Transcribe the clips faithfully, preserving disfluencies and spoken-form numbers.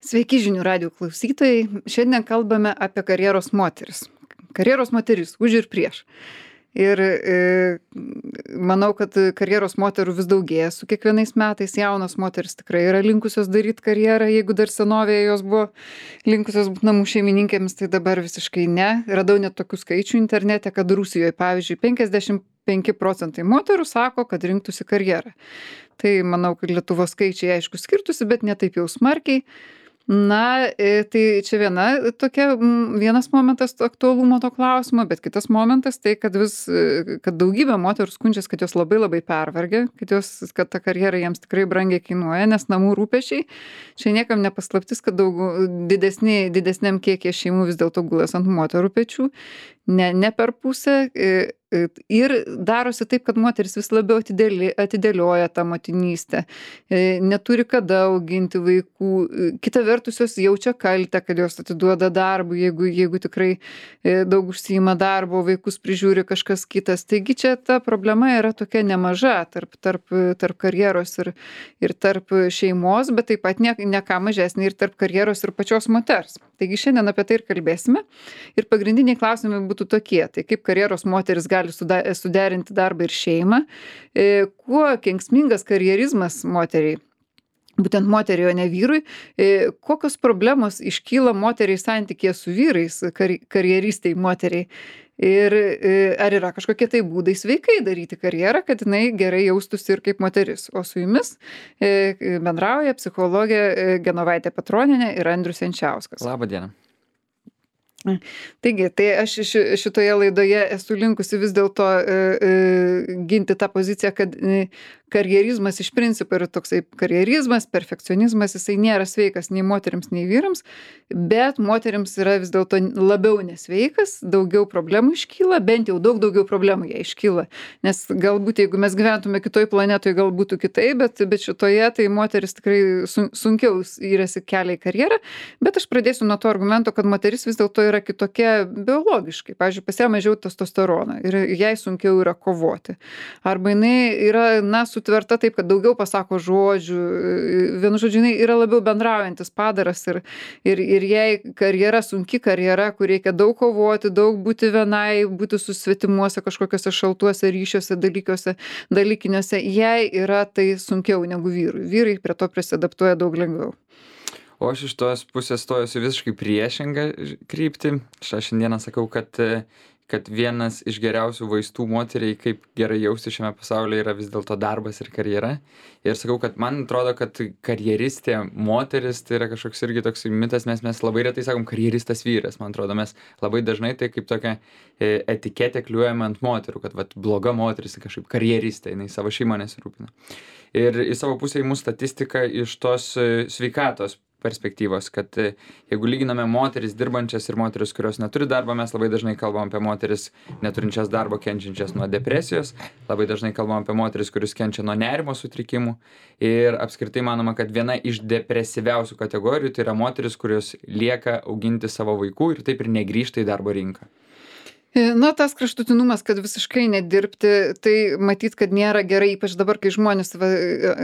Sveiki žinių radijo klausytojai. Šiandien kalbame apie karjeros moteris. Karjeros moteris už ir prieš. Ir e, manau, kad karjeros moterų vis daugėja su kiekvienais metais. Jaunos moteris tikrai yra linkusios daryti karjerą, jeigu dar senovėje jos buvo linkusios būti namų šeimininkėmis, tai dabar visiškai ne. Radau net tokių skaičių internete, kad Rusijoje, pavyzdžiui, penkiasdešimt penki procentai moterų sako, kad rinktųsi karjerą. Tai manau, kad Lietuvos skaičiai aišku skirtusi, bet ne taip jau smarkiai. Na, e, tai čia viena tokia, m, vienas momentas to aktualumo to klausimo, bet kitas momentas tai, kad vis, e, kad daugybė moterų skundžiasi, kad jos labai labai pervargė, kad, jos, kad ta karjera jiems tikrai brangiai kainuoja, nes namų rūpešiai, čia niekam nepaslaptis, kad daug, didesni, didesniam kiekiai šeimų vis dėlto gulas ant moterų pečių, ne, ne per pusę. E, Ir darosi taip, kad moteris vis labiau atidėli, atidėlioja tą motinystę, neturi kada auginti vaikų. Kita vertus, jos jaučia kaltę, kad jos atiduoda darbų, jeigu, jeigu tikrai daug užsiima darbo, vaikus prižiūri kažkas kitas. Taigi čia ta problema yra tokia nemaža tarp, tarp, tarp karjeros ir, ir tarp šeimos, bet taip pat ne, ne ką mažesnė ir tarp karjeros ir pačios moters. Taigi šiandien apie tai ir kalbėsime. Ir pagrindiniai klausimai būtų tokie. Tai kaip karjeros moteris gali suderinti darbą ir šeimą, kuo kenksmingas karjerizmas moteriai, būtent moteriai, o ne vyrui, kokios problemos iškyla moteriai santykėje su vyrais, kar, karjeristai moteriai. Ir ar yra kažkokie tai būdai sveikai daryti karjerą, kad jinai gerai jaustųsi ir kaip moteris. O su jumis bendrauja psichologė Genovaitė Petronienė ir Andrius Jančiauskas. Labą dieną. Taigi, tai aš šitoje laidoje esu linkusi vis dėlto e, e, ginti tą poziciją, kad e, karjerizmas iš principo yra toksai karjerizmas, perfekcionizmas, jisai nėra sveikas nei moterims, nei vyrams, bet moterims yra vis dėlto labiau nesveikas, daugiau problemų iškyla, bent jau daug daugiau problemų jie iškyla. Nes galbūt jeigu mes gyventume kitoj planetoje, gal būtų kitai, bet, bet šitoje tai moteris tikrai sun, sunkiau įrasi kelią į karjerą, bet aš pradėsiu nuo to argumento, kad moteris vis dėlto yra kitokia biologiškai. Pavyzdžiui, pas ją mažiau testosterono ir jai sunkiau yra kovoti. Arba jinai yra, na, sutverta taip, kad daugiau pasako žodžių. Vienu žodžiu, jinai yra labiau bendraujantis padaras ir, ir, ir jai karjera, sunki karjera, kur reikia daug kovoti, daug būti vienai, būti susvetimuose kažkokiuose šaltuose ryšiuose, dalykiuose, dalykiniuose, jai yra tai sunkiau negu vyrui. Vyrai prie to prisidaptuoja daug lengviau. O aš iš tos pusės stojusi visiškai priešingą kryptį. Aš šiandieną sakau, kad, kad vienas iš geriausių vaistų moteriai, kaip gerai jausti šiame pasaulyje, yra vis dėlto darbas ir karjera. Ir sakau, kad man atrodo, kad karjeristė moteris tai yra kažkoks irgi toks mitas, mes, mes labai retai sakom karjeristas vyras. Man atrodo, mes labai dažnai tai kaip tokia etiketė kliuojame ant moterų, kad vat, bloga moteris kažkaip karjeristė, jinai savo šeimą nesirūpina. Ir į savo pusę įmų statistika iš tos sveikatos perspektyvos, kad jeigu lyginame moteris dirbančias ir moteris, kurios neturi darbo, mes labai dažnai kalbam apie moteris neturinčias darbo, kenčiančias nuo depresijos, labai dažnai kalbam apie moteris, kuris kenčia nuo nerimo sutrikimų ir apskritai manoma, kad viena iš depresyviausių kategorijų tai yra moteris, kurios lieka auginti savo vaikų ir taip ir negrįžta į darbo rinką. Na, tas kraštutinumas, kad visiškai nedirbti, tai matyt, kad nėra gerai, ypač dabar, kai žmonės, va,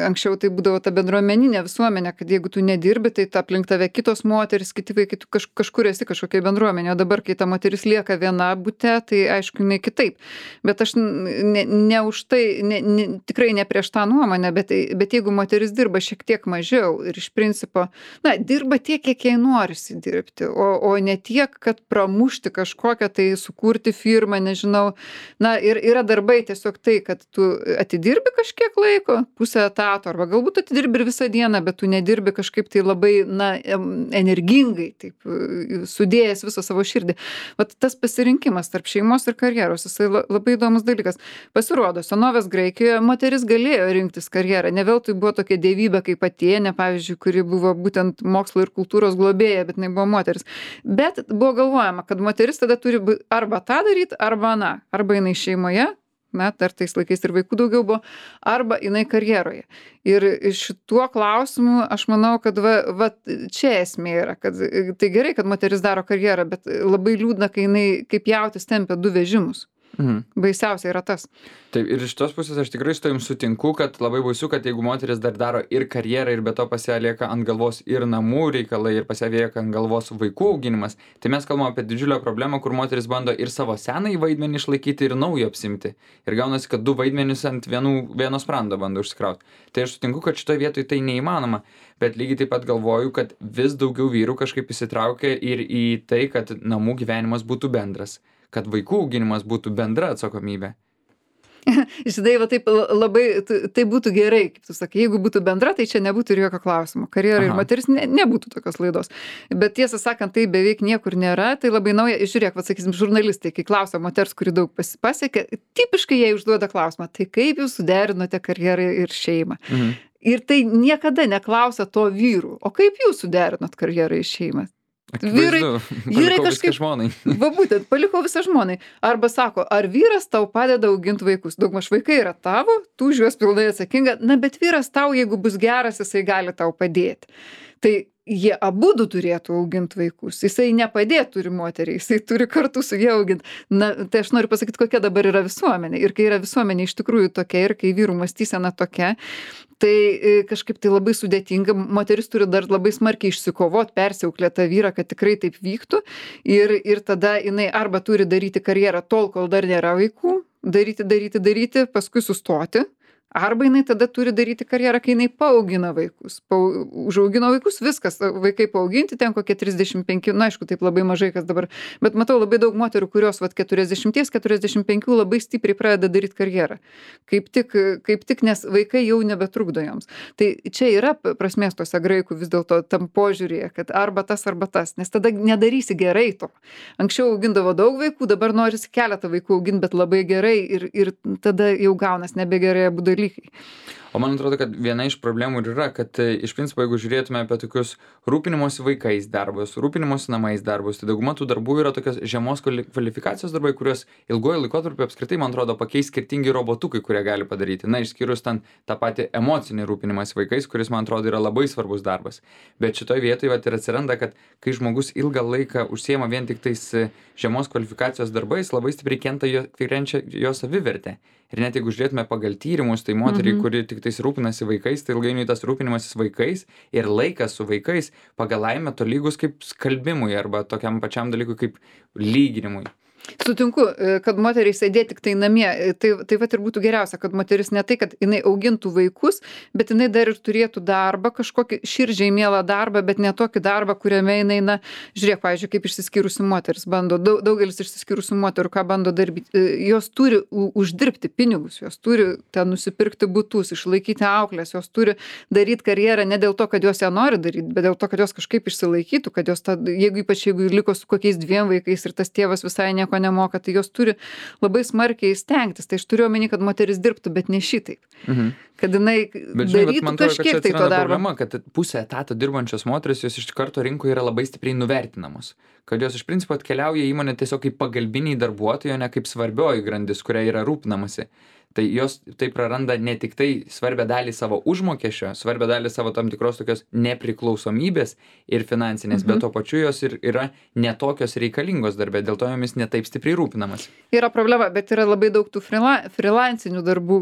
anksčiau tai būdavo ta bendruomeninė visuomenė, kad jeigu tu nedirbi, tai ta aplink tave kitos moteris, kiti vaikai, tu kaž, kažkur esi kažkokia bendruomenė, o dabar, kai ta moteris lieka viena bute, tai aišku, jinai kitaip. Bet aš ne, ne už tai, ne, ne, tikrai ne prieš tą nuomonę, bet, bet jeigu moteris dirba šiek tiek mažiau ir iš principo, na, dirba tiek, kiek jai norisi dirbti, o, o ne tiek, kad pramušti kažkokią tai sukurti firmą, nežinau. Na, ir yra darbai tiesiog tai, kad tu atidirbi kažkiek laiko, pusę etato, arba galbūt atidirbi ir visą dieną, bet tu nedirbi kažkaip tai labai, na, energingai, taip, sudėjęs visą savo širdį. Vat tas pasirinkimas tarp šeimos ir karjeros, jisai labai įdomus dalykas. Pasirodo, senovės Graikijoje moteris galėjo rinktis karjerą, ne veltui buvo tokia dievybė kaip Atėnė, pavyzdžiui, kuri buvo būtent mokslo ir kultūros globėja, bet jinai buvo moteris. Bet buvo galvojama, kad moteris tada turi arba tą daryti, arba na, arba jinai šeimoje, na, dar tais laikais ir vaikų daugiau buvo, arba jinai karjeroje. Ir šituo klausimu aš manau, kad va, va čia esmė yra, kad tai gerai, kad moteris daro karjerą, bet labai liūdna, kai jinai kaip jautis tempia du vežimus. Mhm. Baisiausia yra tas. Taip, ir iš tos pusės aš tikrai su tavim sutinku, kad labai baisu, kad jeigu moteris dar daro ir karjerą, ir be to pas ją lieka ant galvos ir namų reikalai, ir pas ją lieka ant galvos vaikų auginimas, tai mes kalbame apie didžiulę problemą, kur moteris bando ir savo senąjį vaidmenį išlaikyti, ir naujo apsimti. Ir gaunasi, kad du vaidmenis ant vienų, vieno sprando bando užsikrauti. Tai aš sutinku, kad šitoje vietoje tai neįmanoma, bet lygiai taip pat galvoju, kad vis daugiau vyrų kažkaip įsitraukia ir į tai, kad namų gyvenimas būtų bendras, kad vaikų auginimas būtų bendra atsakomybė. Žinai, va taip labai, tai būtų gerai, kaip tu sakai, jeigu būtų bendra, tai čia nebūtų ir jokio klausimo. Karjera ir moteris ne, nebūtų tokios laidos. Bet tiesą sakant, tai beveik niekur nėra, tai labai nauja. Žiūrėk, va sakysim, žurnalistai, kai klausia moters, kuri daug pasiekė, tipiškai jie užduoda klausimą, tai kaip jūs suderinote karjerą ir šeimą? Mhm. Ir tai niekada neklausia to vyrų, o kaip jūs suderinot karjerą ir šeimą? Vyrai, vyrai kažkaip žmonai. Va būtent, paliko visą žmonai. Arba sako, ar vyras tau padeda auginti vaikus? Daugmaž vaikai yra tavo, tu už juos pilnai atsakinga, na bet vyras tau, jeigu bus geras, jisai gali tau padėti. Tai jie abudu turėtų auginti vaikus. Jisai nepadėtų turi moteriai, jisai turi kartu su jie auginti. Na, tai aš noriu pasakyti, kokia dabar yra visuomenė. Ir kai yra visuomenė iš tikrųjų tokia, ir kai vyrų mąstysena tokia, tai kažkaip tai labai sudėtinga. Moteris turi dar labai smarkiai išsikovot, persiauklėt tą vyrą, kad tikrai taip vyktų. Ir, ir tada jinai arba turi daryti karjerą tol, kol dar nėra vaikų, daryti, daryti, daryti, paskui sustoti. Arba jinai tada turi daryti karjerą, kai jinai paaugina vaikus. Pa, užaugino vaikus, viskas, vaikai paauginti, ten kokie trisdešimt penki, na aišku, taip labai mažai kas dabar, bet matau labai daug moterų, kurios vat keturiasdešimt keturiasdešimt penki labai stipriai pradeda daryti karjerą. Kaip tik, kaip tik, nes vaikai jau nebetrukdo joms. Tai čia yra prasmės tose graikų vis dėlto tam požiūrėje, kad arba tas, arba tas, nes tada nedarysi gerai to. Anksčiau augindavo daug vaikų, dabar norisi keletą vaikų auginti, bet labai gerai ir, ir tada jau gaunas nebegerai abu dalykai. O man atrodo, kad viena iš problemų ir yra, kad iš principo, jeigu žiūrėtume apie tokius rūpinimosi vaikais darbus, rūpinimosi namais darbus, tai dauguma tų darbų yra tokios žemos kvalifikacijos darbai, kuriuos ilgojo laikotarpiu apskritai, man atrodo, pakeis skirtingi robotukai, kurie gali padaryti. Na, išskyrus ten tą patį emocinį rūpinimąsi vaikais, kuris, man atrodo, yra labai svarbus darbas. Bet šitoje vietoje vat, ir atsiranda, kad kai žmogus ilgą laiką užsiema vien tik tais žemos kvalifikacijos darbais, labai stipriai kenta jo, kenčia jo savivertė. Ir net jeigu žiūrėtume pagal tyrimus, tai moteriai, mhm. kuri tik tais rūpinasi vaikais, tai ilgainiui tas rūpinimasis vaikais ir laikas su vaikais pagal laimę tolygus kaip skalbimui arba tokiam pačiam dalykui kaip lyginimui. Sutinku, kad moteriai sėdėti tik tai namie, tai, tai vat ir būtų geriausia, kad moteris ne tai, kad jinai augintų vaikus, bet jinai dar ir turėtų darbą, kažkokį širdžiai mielą darbą, bet ne tokį darbą, kuriame jinai, na, žiūrėk, pavyzdžiui, kaip išsiskyrusi moteris bando, daug, daugelis išsiskyrusių moterų, ką bando darbyti, jos turi uždirbti pinigus, jos turi ten nusipirkti butus, išlaikyti auklės, jos turi daryti karjerą ne dėl to, kad jos ją nori daryti, bet dėl to, kad jos kažkaip išsilaikytų, kad jos, ta, jeigu ypač jeigu liko su kokiais dviem vaikais ir tas tėvas visai nieko nemoka, tai jos turi labai smarkiai stengtis. Tai aš turiu omeny, kad moteris dirbtų, bet ne šitaip. Mhm. Kad jinai bet, darytų žinai, kažkiek tai to darbo. Problema, kad pusė etato dirbančios moteris, jos iš karto rinkoje yra labai stipriai nuvertinamos. Kad jos iš principo atkeliauja į įmonę tiesiog kaip pagalbiniai darbuotojai, o ne kaip svarbioji grandis, kuria yra rūpinamasi. Tai jos tai praranda ne tik tai svarbę dalį savo užmokesčio, svarbę dalį savo tam tikros tokios nepriklausomybės ir finansinės, mhm. bet tuo pačiu jos ir yra netokios reikalingos darbė, dėl to jomis netaip stipriai rūpinamas. Yra problema, bet yra labai daug tų frila, freelancinių darbų.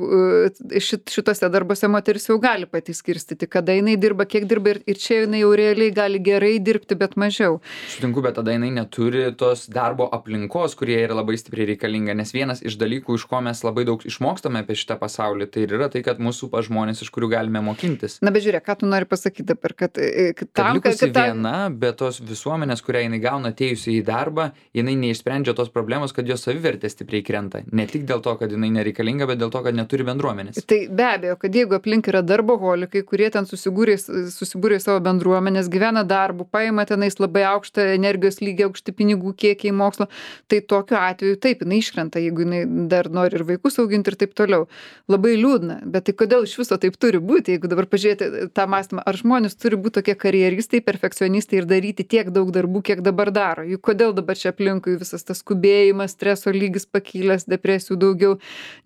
Šit, šitose darbuose moteris jau gali pati skirstyti, kada jinai dirba, kiek dirba ir, ir čia jinai jau realiai gali gerai dirbti, bet mažiau. Sutinku, bet tada jinai neturi tos darbo aplinkos, kurie yra labai stipriai reikalinga, nes vienas iš dalykų, iš ko mes labai daug išmokstame apie šitą pasaulį, tai yra tai, kad mūsų pa žmonės, iš kurių galime mokintis. Na, bet žiūrėk, ką tu nori pasakyti dabar, kad, kad tam, kad likusi kad, kad viena, bet tos visuomenės, kurią jinai gauna atėjusi į darbą, jinai neišsprendžia tos problemos, kad jos savivertė stipriai krenta. Ne tik dėl to, kad jinai nereikalinga, bet dėl to, kad neturi bendruomenės. Tai be abejo, kad jeigu aplink yra darboholikai, kurie ten susibūrė, susibūrė savo bendruomenės, gyvena darbu, paima tenais labai aukštą energijos lygį, aukšti pinigų kiekiai mokslo, tai tokiu atveju taip, jinai iškrenta, jeigu jinai dar nori ir vaikus auginti ir taip taip toliau. Labai liūdna, bet tai kodėl iš viso taip turi būti, jeigu dabar pažiūrėti tą mąstymą, ar žmonės turi būti tokie karjeristai, perfekcionistai ir daryti tiek daug darbų, kiek dabar daro. Juk kodėl dabar čia aplinkui visas tas skubėjimas, streso lygis pakilęs, depresijų daugiau,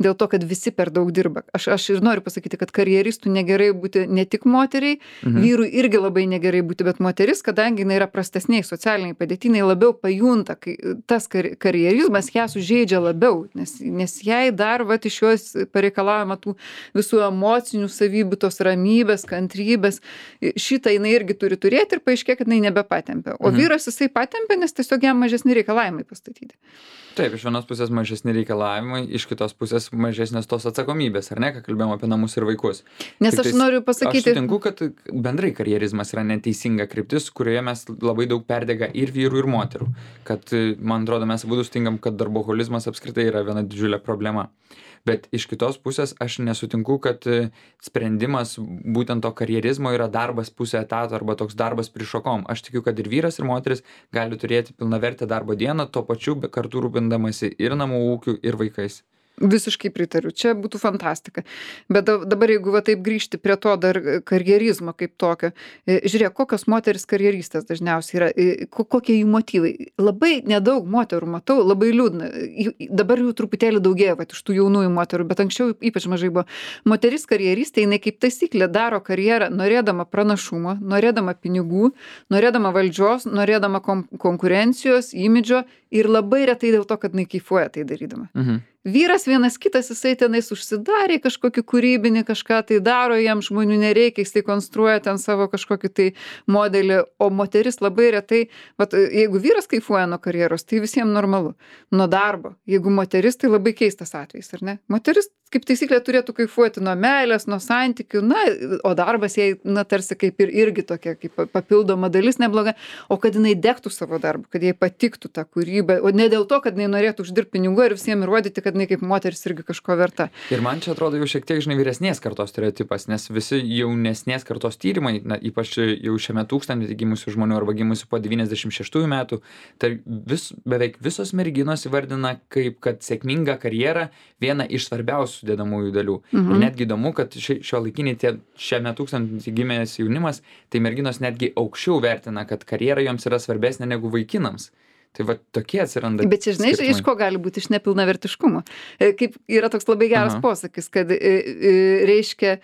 dėl to, kad visi per daug dirba. Aš, aš ir noriu pasakyti, kad karjeristų negerai būti ne tik moteriai, mhm. vyrui irgi labai negerai būti, bet moteris, kadangi jinai yra prastesniai socialiniai padėtiniai, labiau pajunta, kai tas kar karjerizmas ją sužeidžia labiau, nes, nes jai dar vat, iš jos pareikalaujama tų visų emocinių savybių, tos ramybės, kantrybės. Šitą jinai irgi turi turėti ir paaiškėja, kad jinai nebepatempia. O mhm. vyras jisai patempia, nes tiesiog jam mažesni reikalavimai pastatyti. Taip, iš vienos pusės mažesni reikalavimai, iš kitos pusės mažesnės tos atsakomybės, ar ne, ką kalbėjom apie namus ir vaikus. Nes Tik aš tais, noriu pasakyti... Aš sutinku, kad bendrai karjerizmas yra neteisinga kryptis, kurioje mes labai daug perdega ir vyrų, ir moterų. Kad, man atrodo, mes abudu sutinkam, kad darboholizmas apskritai yra viena didžiulė problema. Bet iš kitos pusės aš nesutinku, kad sprendimas būtent to karjerizmo yra darbas pusę etato arba toks darbas prišokom. Aš tikiu, kad ir vyras, ir moteris gali turėti pilnavertę darbo dieną, tuo pačiu kartu rūpindamasi ir namų ūkiu, ir vaikais. Visiškai pritariu, čia būtų fantastika. Bet dabar, jeigu va taip grįžti prie to dar karjerizmo kaip tokio, žiūrėk, kokios moteris karjeristės dažniausiai yra, kokie jų motyvai. Labai nedaug moterų matau, labai liūdna. Dabar jų truputėlį daugėja, va, iš tų jaunųjų moterų, bet anksčiau ypač mažai buvo. Moteris karjeristė, jinai kaip taisyklė daro karjerą norėdama pranašumo, norėdama pinigų, norėdama valdžios, norėdama konkurencijos, imidžo ir labai retai dėl to, kad jinai kaifuoja tai darydama. Mhm. Vyras vienas kitas, jisai tenais užsidarė kažkokį kūrybinį, kažką tai daro, jam žmonių nereikia, jisai konstruoja ten savo kažkokį tai modelį, o moteris labai retai, vat, jeigu vyras kaifuoja nuo karjeros, tai visiems normalu, nuo darbo. Jeigu moteris, tai labai keistas atvejis, ar ne? Moteris, kaip taisyklė, turėtų kaifuoti nuo meilės, nuo santykių, na, o darbas jai, na, tarsi kaip ir irgi tokia, kaip papildoma dalis nebloga, o kad jinai degtų savo darbą, kad jai patiktų ta kūryba, o ne dėl to, kad jinai norėtų uždirbti pinigų ir visiems įrodyti, kad jinai kaip moteris irgi kažko verta. Ir man čia atrodo jau šiek tiek, žinai, vyresnės kartos stereotipas, nes visi jaunesnės kartos tyrimai, na, ypač jau šiame tūkstantmetį gimusių žmonių arba gimusių po devyniasdešimt šeštųjų metų, tai vis, beveik visos merginos įvardina kaip, kad sėkminga karjera viena iš svarbiausių sudedamųjų dalių. Mhm. Ir netgi įdomu, kad ši, šio laikiniai tie šiame tūkstantmetį gimęs jaunimas, tai merginos netgi aukščiau vertina, kad karjera joms yra svarbesnė negu vaikinams. Tai va tokie atsiranda. Bet čia, žinai, skirtumai. Iš ko gali būti iš nepilnavertiškumo. Kaip yra toks labai geras Aha. posakis, kad reiškia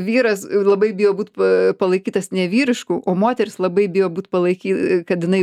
vyras labai bijo būti palaikytas nevyrišku, o moteris labai bijo būti palaikytas, kad jinai,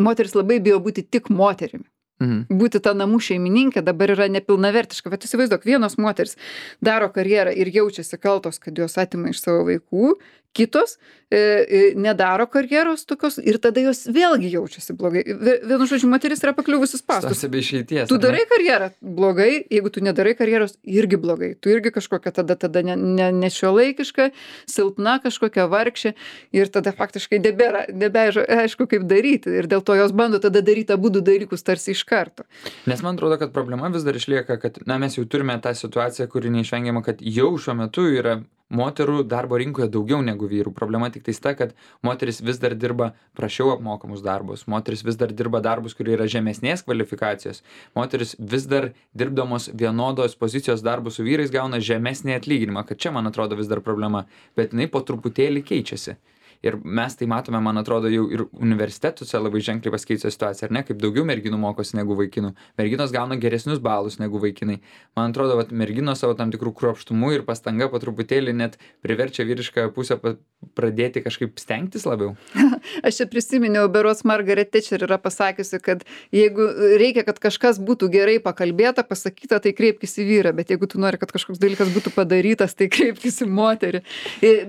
moteris labai bijo būti tik moterimi. Mhm. Būti ta namų šeimininkė dabar yra nepilnavertiška. Bet įsivaizduok, vienos moteris daro karjerą ir jaučiasi kaltos, kad jos atima iš savo vaikų, kitos e, e, nedaro karjeros tokios ir tada jos vėlgi jaučiasi blogai. Vienu žodžiu, moteris yra pakliuvusi spąstus. Išeities, tu darai karjerą blogai, jeigu tu nedarai karjeros irgi blogai. Tu irgi kažkokia tada, tada ne, ne, nešiuolaikiška, silpna kažkokia vargšė ir tada faktiškai nebėra, nebėra aišku, kaip daryti. Ir dėl to jos bando tada daryti abudu dalykus tarsi iš karto. Nes man atrodo, kad problema vis dar išlieka, kad na, mes jau turime tą situaciją, kuri neišvengiama, kad jau šiuo metu yra moterų darbo rinkoje daugiau negu vyrų. Problema tik tais ta, kad moteris vis dar dirba prašiau apmokamus darbus, moteris vis dar dirba darbus, kurie yra žemesnės kvalifikacijos, moteris vis dar dirbdamos vienodos pozicijos darbus su vyrais gauna žemesnį atlyginimą, kad čia, man atrodo, vis dar problema, bet jinai po truputėlį keičiasi. Ir mes tai matome, man atrodo, jau ir universitetuose labai ženkliai pasikeitė situacija, ar ne, kaip daugiau merginų mokosi negu vaikinų. Merginos gauna geresnius balus negu vaikinai. Man atrodo, kad merginos savo tam tikrų kruopštumų ir pastanga po truputėlį net priverčia vyrišką pusę pradėti kažkaip stengtis labiau. Aš čia prisiminiau, berods Margaret Thatcher yra pasakiusi, kad jeigu reikia, kad kažkas būtų gerai pakalbėta, pasakyta, tai kreipkis į vyrą, bet jeigu tu nori, kad kažkoks dalykas būtų padarytas, tai kreipkis į moterį.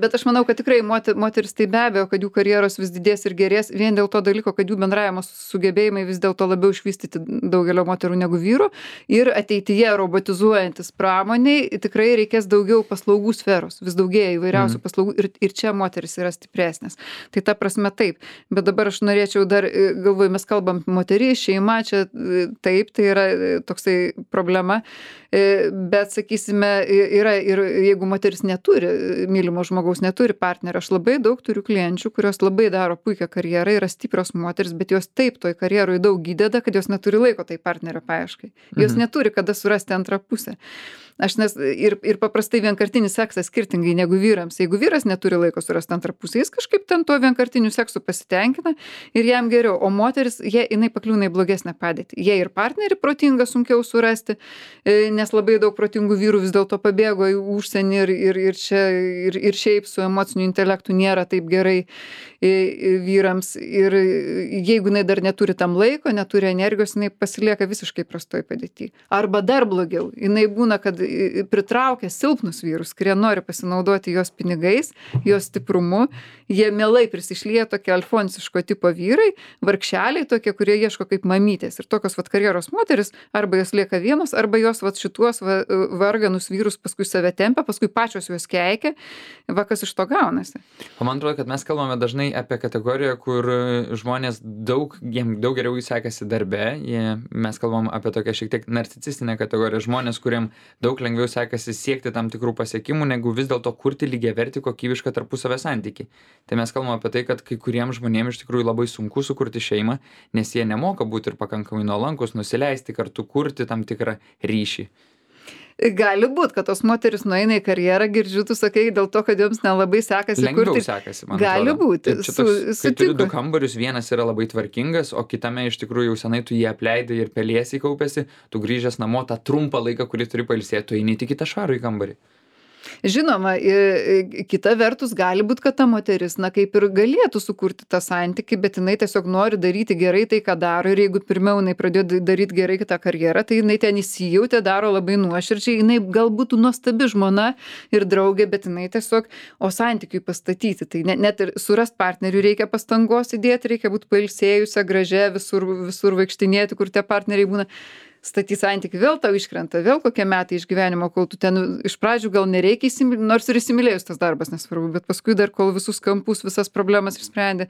Bet aš manau, kad tikrai moteris tai be abejo, kad jų karjeros vis didės ir gerės vien dėl to dalyko, kad jų bendravimo sugebėjimai vis dėlto labiau išvystyti daugelio moterų negu vyrų ir ateityje robotizuojantis pramoniai tikrai reikės daugiau paslaugų sferos, vis daugėja įvairiausių mm. paslaugų ir, ir čia moteris yra stipresnės. Tai ta prasme taip, bet dabar aš norėčiau dar, galvoju, mes kalbam moterį, šeima, čia taip, tai yra toksai problema, bet sakysime, yra ir jeigu moteris neturi, mylimo žmogaus neturi partnerio, aš labai daug turiu klienčių, kurios labai daro puikią karjerą, yra stiprios moteris, bet jos taip toj karjeroj daug įdeda, kad jos neturi laiko tai partnerio paieškai. Jos Mhm. neturi kada surasti antrą pusę. Aš nes ir, ir paprastai vienkartinis seksas skirtingai negu vyrams. Jeigu vyras neturi laiko surasti antrą pusę, jis kažkaip ten tuo vienkartiniu seksu pasitenkina ir jam geriau. O moteris, jie, jinai pakliūna į blogesnę padėtį. Jie ir partnerį protingą sunkiau surasti, e, nes labai daug protingų vyrų vis dėlto pabėgo į užsienį ir, ir, ir čia ir, ir šiaip su emociniu intelektu nėra taip gerai e, e, vyrams. Ir jeigu jinai dar neturi tam laiko, neturi energijos, jinai pasilieka visiškai prastoj padėtį. Arba dar blogiau, jinai būna, kad pritraukia silpnus vyrus, kurie nori pasinaudoti jos pinigais, jos stiprumu. Jie mielai prisišlieja tokie alfonsiško tipo vyrai, vargšeliai tokie, kurie ieško kaip mamytės. Ir tokios vat karjeros moteris, arba jos lieka vienos, arba jos vat šituos va, varganus vyrus paskui save tempia, paskui pačios juos keikia. Va kas iš to gaunasi. O man atrodo, kad mes kalbame dažnai apie kategoriją, kur žmonės daug, jiem daug geriau sekasi darbe. Jie, mes kalbam apie tokią šiek tiek narcisistinę kategoriją. Žmonės, kuriem daug lengviau sekasi siekti tam tikrų pasiekimų, negu vis dėlto kurti lygiavertį kokybišką tarpusavio santykį. Tai mes kalbam apie tai, kad kai kuriems žmonėms iš tikrųjų labai sunku sukurti šeimą, nes jie nemoka būti ir pakankamai nuolankus, nusileisti, kartu kurti tam tikrą ryšį. Gali būt, kad tos moteris nueina į karjerą, girdžiu, tu sakai, dėl to, kad joms nelabai sekasi Lengviau kurti. sekasi, man Gali atrodo. būti, Taip, čia su- toks, kai turi sutinku. du kambarius, vienas yra labai tvarkingas, o kitame iš tikrųjų jau senai tu jį apleidai ir pelėsiai kaupėsi, tu grįžęs namo tą trumpą laiką, kurį turi pailsėti, tu eini tik į tą švarų į kambarį. Žinoma, i- i- kita vertus gali būt, kad ta moteris, na kaip ir galėtų sukurti tą santykį, bet jinai tiesiog nori daryti gerai tai, ką daro. Ir jeigu pirmiau jinai pradėjo daryti gerai tą karjerą, tai jinai ten įsijautė, daro labai nuoširdžiai. Jinai galbūt nuostabi žmona ir draugė, bet jinai tiesiog, o santykiui pastatyti. Tai net, net ir surast partnerių reikia pastangos įdėti, reikia būti pailsėjusią, gražią, visur, visur vaikštinėti, kur tie partneriai būna. Statyti santykių, vėl tau iškrenta, vėl kokie metai iš gyvenimo, kol tu ten iš pradžių gal nereikia įsimylėti, nors ir įsimylėjus tas darbas nesvarbu, bet paskui dar kol visus kampus, visas problemas išsprendė.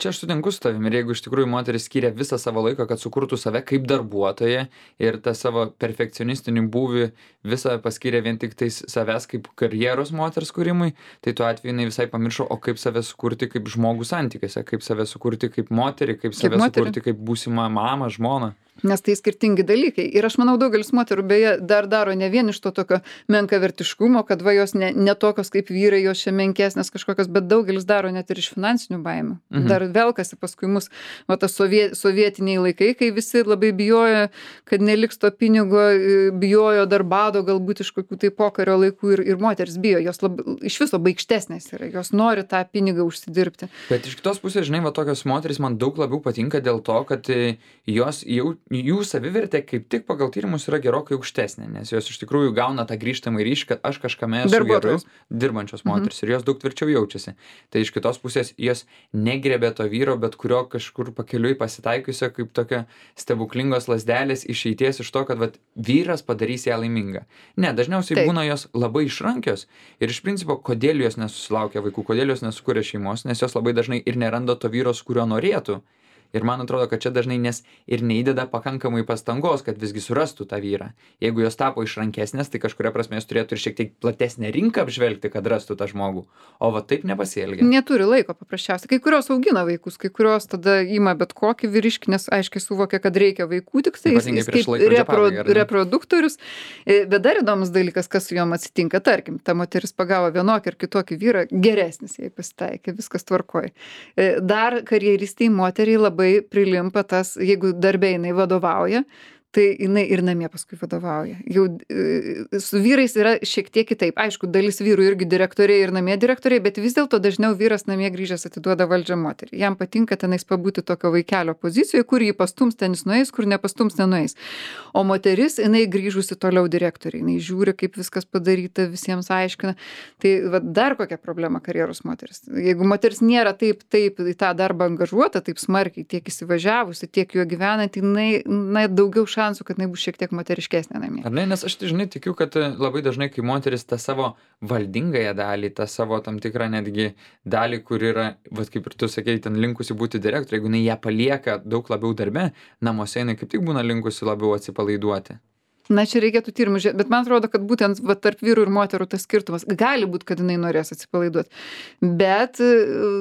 Čia aš sutinku su tavimi ir jeigu iš tikrųjų moteris skiria visą savo laiką, kad sukurtų save kaip darbuotoją ir tą savo perfekcionistinį būvį visą paskiria vien tik tais savęs kaip karjeros moters kūrimui, tai tuo atveju jinai visai pamiršo, o kaip save sukurti kaip žmogų santykiuose, kaip save sukurti kaip moterį, kaip save moterį. sukurti kaip būsimą mamą, žmoną. Nes tai skirtingi dalykai. Ir aš manau, daugelis moterų beje dar daro ne vien iš to tokio menkavertiškumo, kad va jos ne, ne tokios kaip vyrai, jos čia menkesnės kažkokios, bet daugelis daro net ir iš finansinių baimių. Mhm. Dar velkasi paskui mus, va tas sovie, sovietiniai laikai, kai visi labai bijojo, kad neliks to pinigo, bijojo dar bado galbūt iš kokių tai pokario laikų ir, ir moteris bijo, jos lab, iš viso baikštesnės yra, jos nori tą pinigą užsidirbti. Bet iš kitos pusės, žinai, va tokios moterys man daug labiau patinka dėl to, kad e, jos jau, jų savivertė kaip tik pagal tyrimus yra gerokai aukštesnė, nes jos iš tikrųjų gauna tą grįžtamą ryšį, kad aš kažkame esu geru, Darbuotojos. dirbančios moteris, ir jos daug tvirčiau jaučiasi. Tai iš kitos pusės jos negrebė to vyro, bet kurio kažkur pakeliui pasitaikiusio kaip tokio stebuklingos lasdelės išeities iš to, kad vat, vyras padarys ją laimingą. Ne, dažniausiai Taip. būna jos labai išrankios ir iš principo, kodėl jos nesusilaukia vaikų, kodėl jos nesukūrė šeimos, nes jos labai dažnai ir neranda to vyro, su kuriuo norėtų. Ir man atrodo, kad čia dažnai nes ir neįdeda pakankamai pastangos, kad visgi surastų tą vyrą. Jeigu jos tapo išrankesnės, tai kažkuria prasme jos turėtų ir šiek tiek platesnę rinką apžvelgti, kad rastų tą žmogų. O va taip nepasielgia. Neturi laiko paprasčiausiai. Kai kurios augina vaikus, kai kurios tada ima bet kokį vyriškį, nes aiškiai suvokia, kad reikia vaikų, tik tai jis, Ypatingai jis prieš kaip laikrodžio repro, pabaigą, ar ne? reproduktorius. E, Bet dar įdomus dalykas, kas su jom atsitinka. Tarkim, ta moteris pagavo vienokį ir kitokį vyrą, geresnis jai pasitaikė, viskas tvarkoj. E, Dar karjeristai moteriai labai prilimpa tas, jeigu darbė jinai vadovauja, tai jinai ir namie paskui vadovauja. Jau e, su vyrais yra šiek tiek kitaip. Aišku, dalis vyrų irgi direktoriai ir namie direktoriai, bet vis dėlto dažniau vyras namie grįžęs atiduoda valdžią moteriai. Jam patinka tenais pabūti tokio vaikelio pozicijoje, kur jį pastums ten jis nueis, kur nepastums nenueis. O moteris, jinai grįžusi toliau direktoriai. Jinai žiūri, kaip viskas padaryta, visiems aiškina. Tai va, dar kokia problema karjeros moteris. Jeigu moteris nėra taip, taip į tą darbą angažuota, taip smarkiai, tiek įsivažiavusi, tiek juo gyvenant, jinai na, daugiau šansų, kad jinai bus šiek tiek moteriškesnė namie. Ar ne, nes aš tai žinai tikiu, kad e, labai dažnai, kai moteris tą savo valdingąją dalį, tą savo tam tikrą netgi dalį, kur yra, vat kaip ir tu sakei, ten linkusi būti direktorė, jeigu jinai ją palieka daug labiau darbe, namuose jinai kaip tik būna linkusi labiau atsipalaiduoti. Na, čia reikėtų tyrimų žiūrėti, bet man atrodo, kad būtent va, tarp vyrų ir moterų tas skirtumas gali būti, kad jinai norės atsipalaiduoti, bet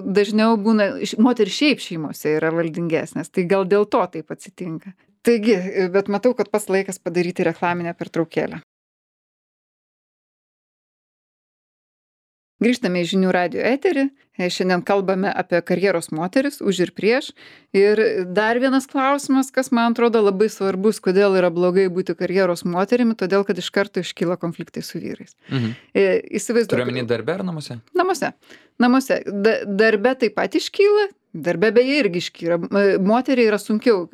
dažniau būna, moteris šiaip šeimose yra valdingesnės, tai gal dėl to taip atsitinka. Taigi, bet matau, kad pats laikas padaryti reklaminę pertraukėlę. Grįžtame į žinių radijo eterį. Šiandien kalbame apie karjeros moteris, už ir prieš. Ir dar vienas klausimas, kas man atrodo labai svarbus, kodėl yra blogai būti karjeros moterimi, todėl kad iš karto iškyla konfliktai su vyrais. Mhm. Įsivaizduoju. Turiu omeny darbe ar namuose? Namuose. Namuose. Da, darbe taip pat iškyla. Darbe beje irgi iškyra. Moteriai yra sunkiau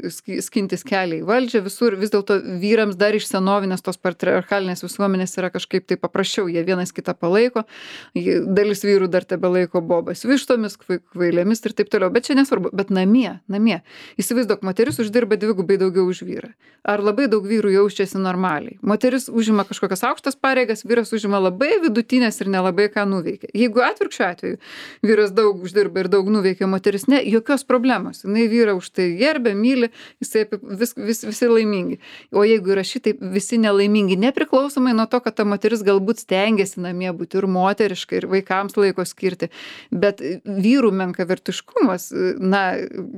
skintis kelią į valdžią, visur vis dėlto vyrams dar iš senovinės tos patriarchalinės visuomenės yra kažkaip tai paprasčiau, jie vienas kitą palaiko, dalis vyrų dar tebelaiko bobas vištomis, kvailėmis ir taip toliau, bet čia nesvarbu, bet namie, namie. Įsivaizduok, moteris uždirba dvigubai daugiau už vyrą. Ar labai daug vyrų jaučiasi normaliai? Moteris užima kažkokias aukštas pareigas, vyras užima labai vidutinės ir nelabai ką nuveikia. Jeigu atvirkščiu atveju vyras daug uždirba ir daug nuveikia, moteris ne, jokios problemos. Jinai vyrą už tai gerbia, myli, jisai vis, vis, visi laimingi. O jeigu yra šitai visi nelaimingi, nepriklausomai nuo to, kad ta moteris galbūt stengiasi namie būti ir moteriškai, ir vaikams laiko skirti, bet vyrų menkavertiškumas, na,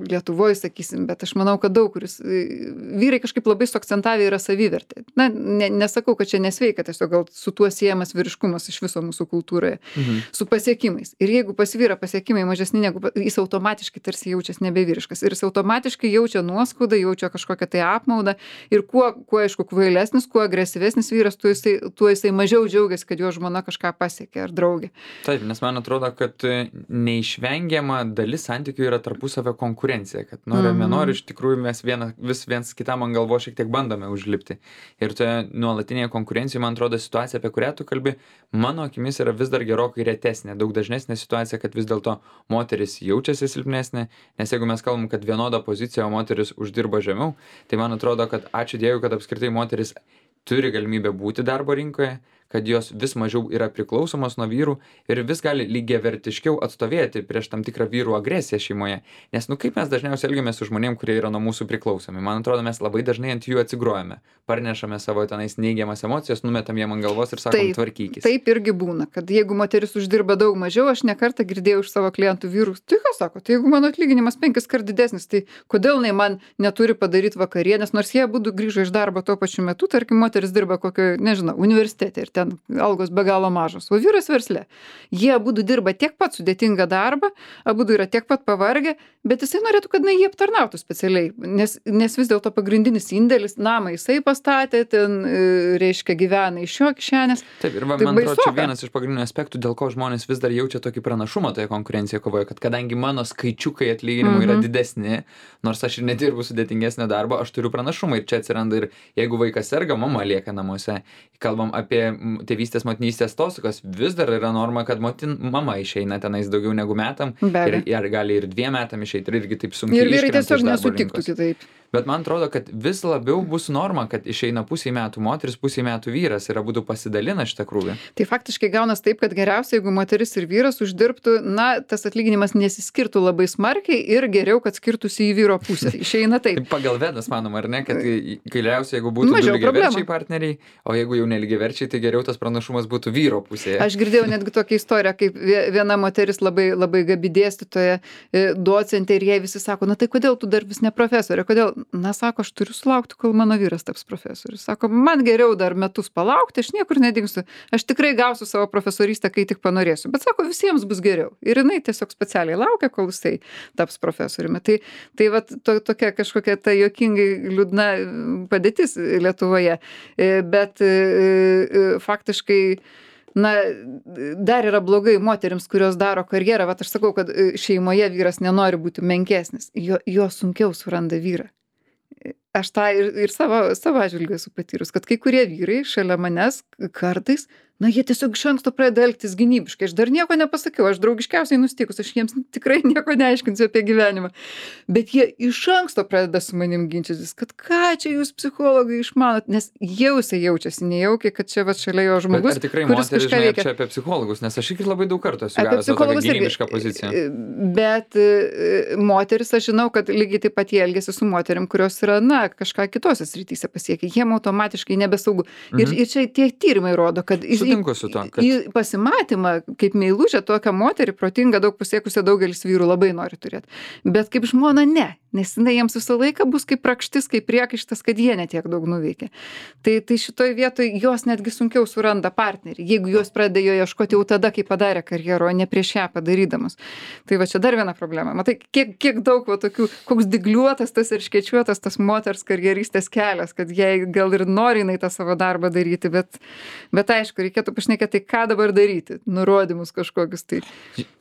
Lietuvoje sakysim, bet aš manau, kad daug kuris, vyrai kažkaip labai suakcentavę yra savivertė. Na, ne, nesakau, kad čia nesveika, tiesiog gal su tuo siejamas vyriškumas iš viso mūsų kultūroje, mhm. su pasiekimais. Ir jeigu pas vyrą pasiekimai mažesni negu jis automatiškai tarsi jaučiasi nebevyriškas. Ir jis automatiškai jaučia nuoskaudą, jaučia kažkokią tai apmaudą. Ir kuo, kuo aišku, kvailesnis, kuo agresyvesnis vyras, tuo jisai, tuo jisai mažiau džiaugiasi, kad jo žmona kažką pasiekė ar draugė. Taip, nes man atrodo, kad neišvengiama dalis santykių yra tarpusavio konkurencija. Kad nori, mm. nenori, iš tikrųjų mes viena, vis viens kitam ant galvo šiek tiek bandome užlipti. Ir toje nuolatinėje konkurencijoje, man atrodo, situacija, apie kurią tu kalbi, mano akimis yra vis dar gerokai retesnė, daug dažnesnė situacija, kad vis dėlto moteris jaučiasi silpnesnė, nes jeigu mes kalbam, kad vienoda pozicija, o moteris uždirba žemiau, tai man atrodo, kad ačiū Dievui, kad apskritai moteris turi galimybę būti darbo rinkoje, kad jos vis mažiau yra priklausomos nuo vyrų ir vis gali lygiavertiškiau atstovėti prieš tam tikrą vyrų agresiją šeimoje. Nes, nu, kaip mes dažniausiai elgiamės su žmonėm, kurie yra nuo mūsų priklausomi. Man atrodo, mes labai dažnai ant jų atsigrojame. Parnešame savo tenais neigiamas emocijas, numetam jiem ant galvos ir sakom, tvarkykis. Taip irgi būna, kad jeigu moteris uždirba daug mažiau, aš ne kartą girdėjau iš savo klientų vyrų, tai ką sako, tai jeigu mano atlyginimas penkis kart didesnis, tai kodėl jinai man neturi padaryti vakarienės, nors jie abudu grįžo iš darbo tuo pačiu metu, tarkim, moteris dirba kokio, nežinau, universitete ir ten algos be galo mažos, o vyras versle. Jie abudu dirba tiek pat sudėtingą darbą, abudu yra tiek pat pavargę, bet jisai norėtų, kad jie aptarnautų specialiai, nes, nes vis dėlto pagrindinis indėlis, namą jisai pastatė, ten, reiškia, gyvena iš jo kišenės. Taip, ir va, tai man atrodo, čia vienas iš pagrindinių aspektų, dėl ko žmonės vis dar jaučia tokį pranašumą toje konkurencijoje kovoje, kad kadangi mano skaičiukai atlyginimų mm-hmm. yra didesni, nors aš ir nedirbu sudėtingesnio darbo, aš turiu pranašumą ir čia atsiranda ir jeigu vaikas serga, mama lieka namuose. Kalbam apie tėvystės, motinystės atostogos, vis dar yra norma, kad motin, mama išeina tenais daugiau negu metam ir, ir gali ir dviem metam išeiti ir irgi taip sunkiai ir vyrai tiesiog nesutiktų kitaip. Bet man atrodo, kad vis labiau bus norma, kad išeina pusė metų moteris, pusė metų vyras ir abudu pasidalina šitą krūvį. Tai faktiškai gaunas taip, kad geriausia, jeigu moteris ir vyras uždirbtų, na, tas atlyginimas nesiskirtų labai smarkiai ir geriau, kad skirtųsi į vyro pusę. Išeina taip. Pagal Vedas manoma, ar ne, kad geriausia, jeigu būtų du lygiaverčiai partneriai, o jeigu jau nelygiaverčiai, tai geriau tas pranašumas būtų vyro pusėje. Aš girdėjau netgi tokią istoriją, kaip viena moteris labai, labai gabi dėstytoja, docentė ir jai visi sako, na tai kodėl tu dar vis ne profesorė, kodėl? Na, sako, aš turiu sulaukti, kol mano vyras taps profesorius. Sako, man geriau dar metus palaukti, aš niekur nedingsiu. Aš tikrai gausiu savo profesorystę, kai tik panorėsiu. Bet sako, visiems bus geriau. Ir jinai tiesiog specialiai laukia, kol jisai taps profesoriumi. Tai, tai vat, to, tokia kažkokia ta juokingai liūdna padėtis Lietuvoje. Bet faktiškai na, dar yra blogai moterims, kurios daro karjerą. Vat aš sakau, kad šeimoje vyras nenori būti menkesnis. Jo, jo sunkiau suranda vyrą. Aš tą ir, ir savo, savo atžvilgiu esu patyrus, kad kai kurie vyrai šalia manęs kartais, na, jie tiesiog iš anksto pradeda elgtis gynybiškai. Aš dar nieko nepasakiau, aš draugiškiausiai nusteikus, aš jiems tikrai nieko neaiškinsiu apie gyvenimą. Bet jie iš anksto pradeda su manim ginčytis, kad ką čia jūs psichologai išmanot, nes jau jisai jaučiasi nejaukiai, kad čia va šalia jo žmogus, bet, ar tikrai moteris žinai čia apie psichologus, nes aš irgi labai daug kartų esu gavęs tokią gynybišką poziciją. Bet moteris, aš žinau, kad lygiai taip pat jie elgiasi su moterim, kurios yra, na, kažką kitose srityse pasiekia, jiem automatiškai nebesaugu. Ir, Mhm. ir čia tie tyrimai rodo, kad į, Sutinku su tuo, kad- į pasimatymą, kaip meilužę, tokią moterį, protingą, daug pasiekusią daugelis vyrų labai nori turėti. Bet kaip žmona ne, nes jinai jiems visą laiką bus kaip rakštis, kaip priekaištas, kad jie netiek daug nuveikė. Tai, tai šitoj vietoj jos netgi sunkiau suranda partnerį, jeigu jos pradeda jo ieškoti jau tada, kai padarė karjerą, o ne prieš ją padarydamas. Tai va čia dar viena problema. Matai, kiek, kiek daug va tokių, koks digliuotas tas ir škečiuotas tas moters karjeristės kelias, kad jai gal ir nori jinai tą savo darbą daryti, bet, bet aišku, reikėtų pašnekėti, tai ką dabar daryti, nurodymus kažkokius tai.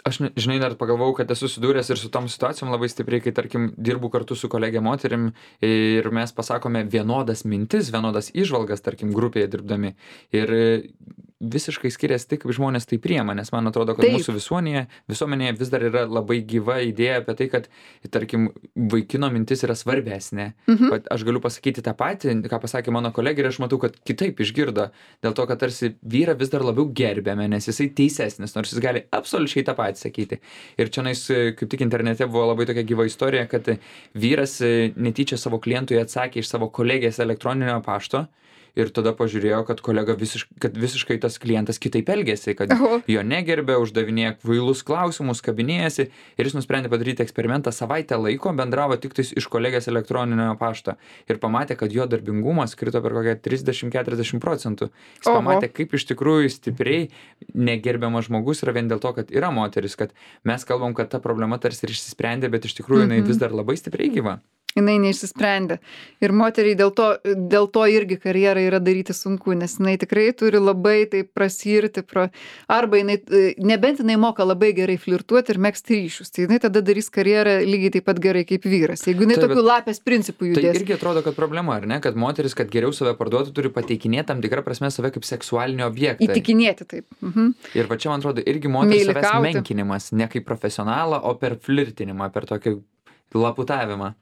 Aš, ne- žinai, dar pagalvojau, kad esu sudūręs ir su tom situacijom labai stipriai, kai, tarkim, dirbu kartu su kolegė moterim ir mes pasakome vienodas mintis, vienodas įžvalgas, tarkim, grupėje dirbdami. Ir e, visiškai skiriasi tik, kaip žmonės tai priema, nes man atrodo, kad Taip. mūsų visuomenėje, visuomenėje vis dar yra labai gyva idėja apie tai, kad, tarkim, vaikino mintis yra svarbesnė. Mhm. Bet aš galiu pasakyti tą patį, ką pasakė mano kolegė, ir aš matau, kad kitaip išgirdo, dėl to, kad tarsi vyrą vis dar labiau gerbėme, nes jisai teisesnis, nors jis gali absoliučiai tą patį sakyti. Ir čia nais, kaip tik internete buvo labai tokia gyva istorija, kad vyras e, netyčia savo klientui atsakė iš savo kolegės elektroninio pašto. Ir tada pažiūrėjo, kad kolega visiškai, kad visiškai tas klientas kitaip elgėsi, kad Oho. jo negerbė, uždavinėja kvailus klausimus, kabinėjasi ir jis nusprendė padaryti eksperimentą, savaitę laiko bendravo tik tais iš kolegės elektroninio pašto ir pamatė, kad jo darbingumas krito per kokią trisdešim iki keturiasdešim procentų. Jis Oho. pamatė, kaip iš tikrųjų stipriai negerbiamas žmogus yra vien dėl to, kad yra moteris, kad mes kalbam, kad ta problema tarsi ir išsisprendė, bet iš tikrųjų jinai vis dar labai stipriai gyva. Jinai neišsisprendė. Ir moteriai dėl to, dėl to irgi karjerą yra daryti sunku, nes jinai tikrai turi labai taip prasirti, pro, arba jinai, nebent jinai moka labai gerai flirtuoti ir megzti ryšius, tai jinai tada darys karjerą lygiai taip pat gerai kaip vyras. Jeigu jinai Taip, tokių bet- lapės principų Tai judės. irgi atrodo, kad problema, ar ne, kad moteris, kad geriau save parduotų, turi pateikinėti tam tikrą prasme save kaip seksualinį objektą. Įtikinėti taip. Mhm. Ir va čia, man atrodo, irgi moters savęs Meilikauti. menkinimas, ne kaip profesionalą, o per flirtinimą, per tokį laputavimą.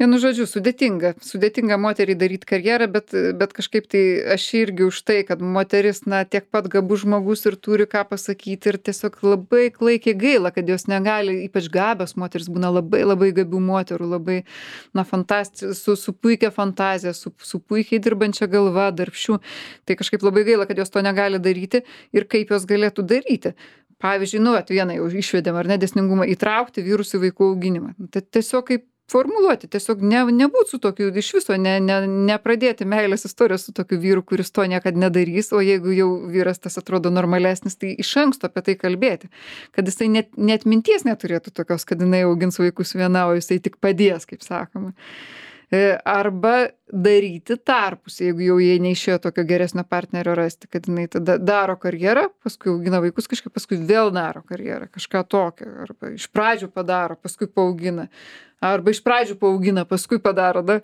Vienu žodžiu, sudėtinga. Sudėtinga moteriai daryti karjerą, bet, bet kažkaip tai aš irgi už tai, kad moteris, na, tiek pat gabus žmogus ir turi ką pasakyti ir tiesiog labai klaikiai gaila, kad jos negali, ypač gabios moteris būna labai labai gabių moterų, labai, na, fantasti, su, su puikia fantazija, su, su puikiai dirbančia galva, darbščių. Tai kažkaip labai gaila, kad jos to negali daryti ir kaip jos galėtų daryti. Pavyzdžiui, nu, at vieną jau išvedėm, ar ne, dėsningumą, įtraukti vyrus į vaikų auginimą. Tai tiesiog kaip formuluoti, tiesiog ne, nebūt su tokiu, iš viso ne, ne, nepradėti meilės istorijos su tokiu vyru, kuris to niekada nedarys, o jeigu jau vyras tas atrodo normalesnis, tai iš anksto apie tai kalbėti, kad jisai net, net minties neturėtų tokios, kad jinai augins vaikus viena, o jisai tik padės, kaip sakoma. E, Arba daryti tarpus, jeigu jau jie neišėjo tokio geresnio partnerio rasti, kad jinai tada daro karjerą, paskui augina vaikus kažkaip, paskui vėl daro karjerą, kažką tokio, arba iš pradžių padaro, paskui paaugina, arba iš pradžių paaugina, paskui padaro, da,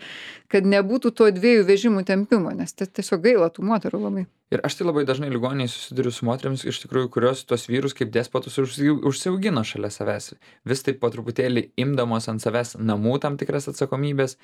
kad nebūtų to dviejų vežimų tempimo, nes tai tiesiog gaila tų moterų labai. Ir aš tai labai dažnai ligoniniai susiduriu su moteriams, iš tikrųjų, kurios tos vyrus kaip despotus užsi- užsiaugino šalia savęs. Vis taip po truputėlį imdamos ant savęs namų tam tikras atsakomybės.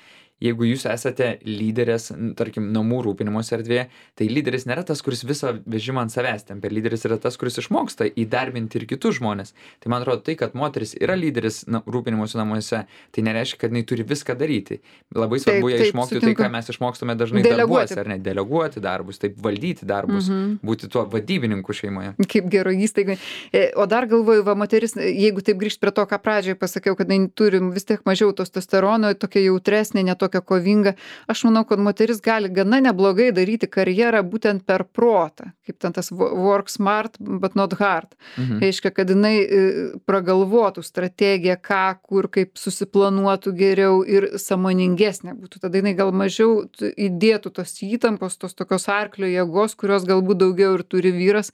Jeigu jūs esate lyderės, n- tarkim, namų rūpinimosi erdvėje, tai lyderis nėra tas, kuris visą vežimą ant savęs tempia. Lyderis yra tas, kuris išmoksta įdarbinti ir kitus žmonės. Tai man atrodo, tai, kad moteris yra lyderis na, rūpinimosi namuose, tai nereiškia, kad jinai turi viską daryti. Labai svarbu Taip, ją taip, išmokti sutinku. tai, ką mes išmokstame dažnai Deleguoti. darbuose, ar ne? Deleguoti darbus, taip valdyti darbus, Mhm. būti tuo vadybininku šeimoje. Kaip gero įstaigai. E, O dar galvoju, va, moteris, jeigu taip grįžt prie to, ką pradžioje pasakiau, kad jinai turi vis tiek mažiau testosterono, tokia jautresnė, netokia kovinga, aš manau, kad moteris gali gana neblogai daryti karjerą būtent per protą, kaip ten tas wo- work smart, but not hard. Mhm. Reiškia, kad jinai e, pragalvotų strategiją, ką, kur, kaip susiplanuotų geriau ir sąmoningesnė būtų. Tada jinai gal mažiau t- įdėtų tos įtampos, tos tokios arklio jėgos, kurios galbūt daugiau ir turi vyras,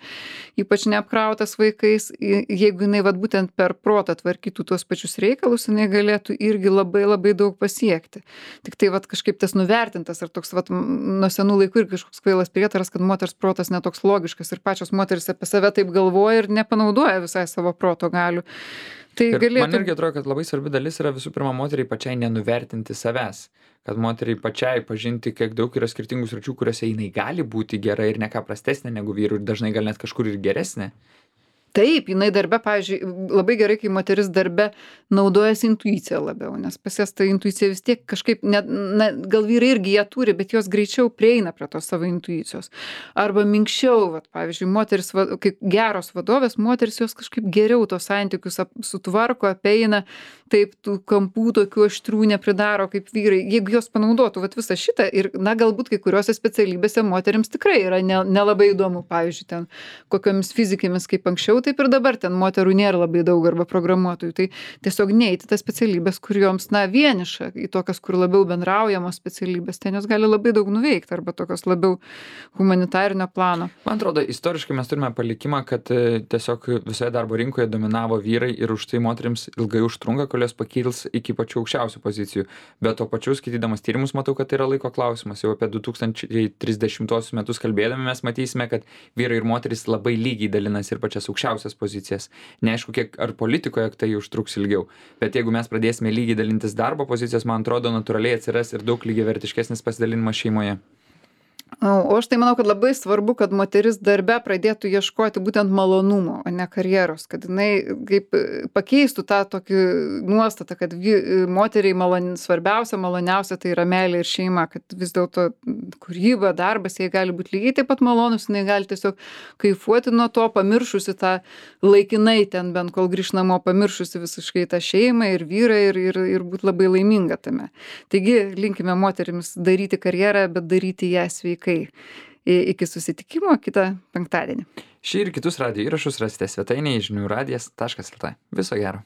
ypač neapkrautas vaikais. I- Jeigu jinai vat, būtent per protą tvarkytų tuos pačius reikalus, jinai galėtų irgi labai labai daug pasiekti. Tik tai vat, kažkaip tas nuvertintas ar toks vat, m, nuo senų laikų ir kažkoks kvailas prietaras, kad moters protas netoks logiškas ir pačios moteris apie save taip galvoja ir nepanaudoja visai savo proto galių. Tai Ir man galėtų... irgi atrodo, kad labai svarbi dalis yra visų pirma moteriai pačiai nenuvertinti savęs. Kad moteriai pačiai pažinti, kiek daug yra skirtingų sričių, kuriuose jinai gali būti gera ir ne ką prastesnė negu vyrų ir dažnai gal net kažkur ir geresnė. Taip, jinai darbe, pavyzdžiui, labai gerai, kai moteris darbe naudojasi intuicija labiau, nes pas jas ta intuicija vis tiek kažkaip, ne, na, gal vyrai irgi ją turi, bet jos greičiau prieina prie tos savo intuicijos. Arba minkščiau, vat, pavyzdžiui, moteris, va- kaip geros vadovės, moteris jos kažkaip geriau tos santykius ap- sutvarko, apeina, taip tų kampų tokių aštrių nepridaro kaip vyrai. Jeigu jos panaudotų vat, visą šitą ir, na, galbūt kai kuriuose specialybėse moterims tikrai yra ne- nelabai įdomu, pavyzdžiui, ten kokiomis fizikėmis kaip anksčiau, taip ir dabar ten moterų nėra labai daug arba programuotojų. Tai tiesiog neiti tas specialybės, kur joms, na, vieniša, į tokias, kur labiau bendraujamos specialybės, ten jos gali labai daug nuveikti arba tokios labiau humanitarinio plano. Man atrodo, istoriškai mes turime palikimą, kad e, tiesiog visoje darbo rinkoje dominavo vyrai ir už tai moterims ilgai užtrunka, kol jos pakils iki pačių aukščiausių pozicijų. Bet to pačiu, skaitydamas tyrimus, matau, kad tai yra laiko klausimas. Jau apie du tūkstančiai trisdešimtuosius metus kalbėdami mes matysime, kad vyrai ir moterys labai lygiai dalinasi ir pačias aukščiausias pozicijas. Neaišku, kiek ar politikoje tai užtruks ilgiau. Bet jeigu mes pradėsime lygiai dalintis darbo pozicijas, man atrodo, natūraliai atsiras ir daug lygiavertiškesnis pasidalinimas šeimoje. O aš tai manau, kad labai svarbu, kad moteris darbe pradėtų ieškoti būtent malonumo, o ne karjeros, kad jinai kaip pakeistų tą tokį nuostatą, kad vy, moteriai malon, svarbiausia, maloniausia tai yra meilė ir šeima, kad vis dėlto kūryba, darbas, jai gali būti lygiai taip pat malonus, jinai gali tiesiog kaifuoti nuo to, pamiršusi tą laikinai ten, bent kol grįš namo, pamiršusi visiškai tą šeimą ir vyrą ir, ir, ir būti labai laiminga tame. Taigi linkime moterims daryti karjerą, bet daryti ją sveikai. Iki susitikimo kitą penktadienį. Šį ir kitus radijo įrašus rasite svetainėje žinių radijas taškas lt. Viso gero.